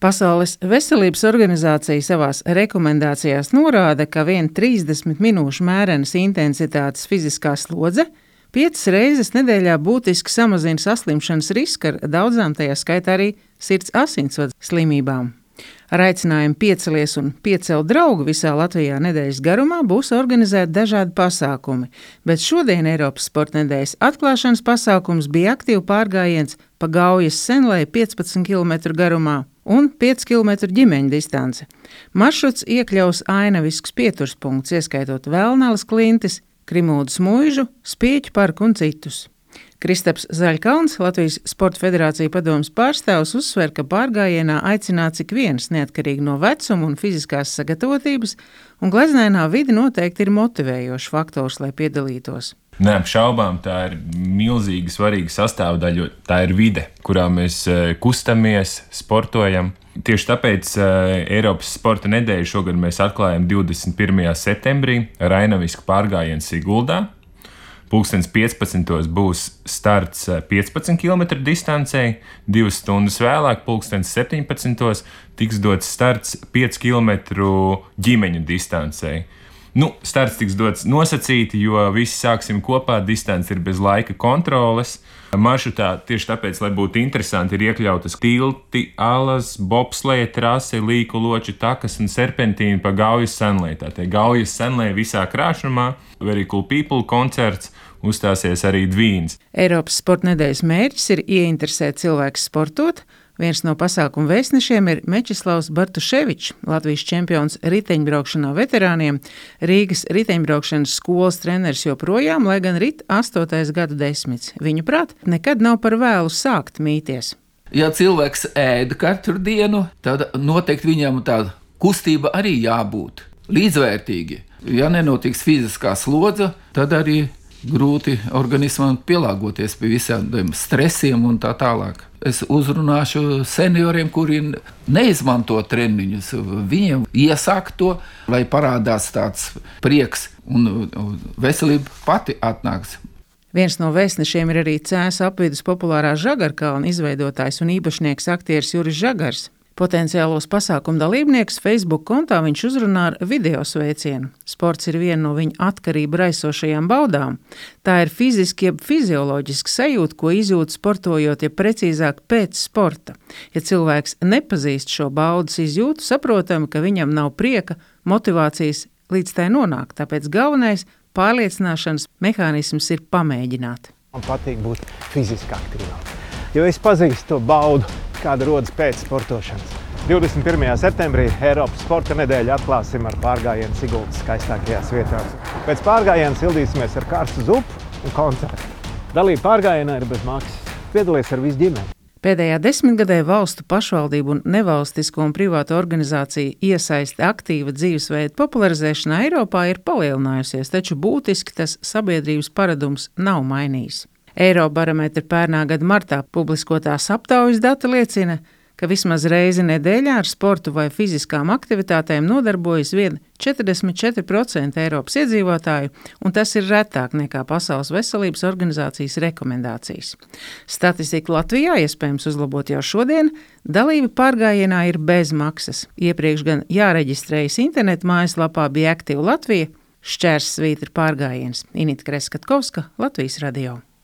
Pasaules veselības organizācija savās rekomendācijās norāda, ka vien 30 minūšu mērenas intensitātes fiziskā slodze 5 reizes nedēļā būtiski samazina saslimšanas risku ar daudzām, tajā skaitā arī sirds asinsvadu slimībām. Ar aicinājumu piecelies un piecelt draugu visā Latvijā nedēļas garumā būs organizēti dažādi pasākumi, bet šodien Eiropas sporta nedēļas atklāšanas pasākums bija aktīvu pārgājiens pa Gaujas Senlei 15 km garumā un 5 km ģimeņu distance. Maršruts iekļaus ainaviskus pieturspunktus, ieskaitot Vēlnalas klintis, Krimūdas muižu, Spieķu parku un citus. Kristaps Zaļkalns, Latvijas Sporta federācija padomes pārstāvs, uzsver, ka pārgājienā aicināts ik viens neatkarīgi no vecuma un fiziskās sagatavotības, un gleznainā vide noteikti ir motivējošs faktors, lai piedalītos. Neapšaubām, tā ir milzīgi svarīga sastāvdaļa, jo tā ir vide, kurā mēs kustamies, sportojam. Tieši tāpēc Eiropas sporta nedēļu šogad mēs atklājam 21. septembrī ar ainavisku pārgājienu Siguldā. 15. būs starts 15 km distancei, 2 stundas vēlāk, 17. tiks dots starts 5 km ģimeņu distancei. Starts tiks dots nosacīti, jo visi sāksim kopā, distance ir bez laika kontroles. Maršrutā tieši tāpēc, lai būtu interesanti, ir iekļautas tilti, alas, bobsleja trase, līku loču takas un serpentīni pa Gaujas Senlei. Tātad Gaujas Senlei visā krāšņumā, Very Cool People koncerts, uzstāsies arī Dvīns. Eiropas sporta nedēļas mērķis ir ieinteresēt cilvēkus sportot. Viens no pasākumu vēstnešiem ir Mečislavs Bartuševičs, Latvijas čempions riteņbraukšanā veterāniem, Rīgas riteņbraukšanas skolas treneris joprojām, lai gan rit 8. gadu desmits. Viņuprāt, nekad nav par vēlu sākt mīties. Ja cilvēks ēda katru dienu, tad noteikti viņam tāda kustība arī jābūt līdzvērtīgi. Ja nenotiks fiziskā slodze, tad arī grūti organismam pielāgoties pie visādiem stresiem un tā tālāk. Es uzrunāšu senioriem, kuri neizmanto treniņus. Viņiem iesāk to, lai parādās tāds prieks un veselība pati atnāks. Viens no vēstnešiem ir arī Cēsu apvidus populārā Žagarkalna izveidotājs un īpašnieks aktieris Juris Žagars. Potenciālos pasākumu dalībnieks Facebook kontā viņš uzrunā ar video sveicienu. Sports ir viena no viņa atkarību raisošajām baudām. Tā ir fiziski jeb fizioloģiski sajūta, ko izjūt sportojot, ja precīzāk pēc sporta. Ja cilvēks nepazīst šo baudas izjūtu, saprotam, ka viņam nav prieka, motivācijas līdz tai nonākt. Tāpēc galvenais pārliecināšanas mehānisms ir pamēģināt. Man patīk būt fiziski aktīvām, jo es pazīstu to baudu, kāda rodas pēc sportošanas. 21. septembrī Eiropas sporta nedēļu atklāsim ar pārgājienu Siguldas skaistākajās vietās. Pēc pārgājiena sildīsimies ar karstu zupu un koncertu. Dalība pārgājienā ir bez maksas. Piedalies ar visu ģimeni. Pēdējā desmitgadē valstu pašvaldību un nevalstisko un privātu organizāciju iesaiste aktīva dzīvesveida popularizēšanā Eiropā ir palielinājusies, taču būtiski tas sabiedrības paradums nav mainījis. Eirobarometra pērnā gada martā publiskotās aptaujas dati liecina, ka vismaz reizi nedēļā ar sportu vai fiziskām aktivitātēm nodarbojas vien 44% Eiropas iedzīvotāju, un tas ir retāk nekā Pasaules veselības organizācijas rekomendācijas. Statistika Latvijā iespējams uzlabot jau šodien, dalība pārgājienā ir bez maksas. Iepriekš gan jāreģistrējas internetu mājaslapā bija Aktīva Latvija, /pārgājiens. Inita Kreskatkovska, Latvijas radio.